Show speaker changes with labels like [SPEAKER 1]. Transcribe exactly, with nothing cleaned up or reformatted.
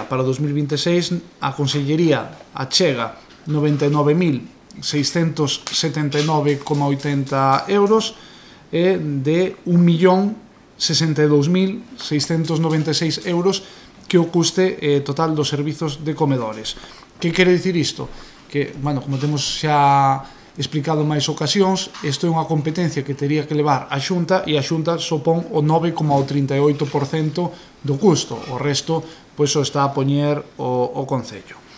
[SPEAKER 1] Para dos mil vinte e seis a Consellería achega noventa e nove mil seiscentos setenta e nove coma oitenta euros e de un millón sesenta e dous mil seiscentos noventa e seis euros que o custe eh, total dos servizos de comedores. Que quere dicir isto? Que, bueno, como temos xa explicado máis ocasións, isto é unha competencia que teria que levar a Xunta e a Xunta sopón o nove coma trinta e oito por cento do custo. O resto, pois, o está a poñer o, o Concello.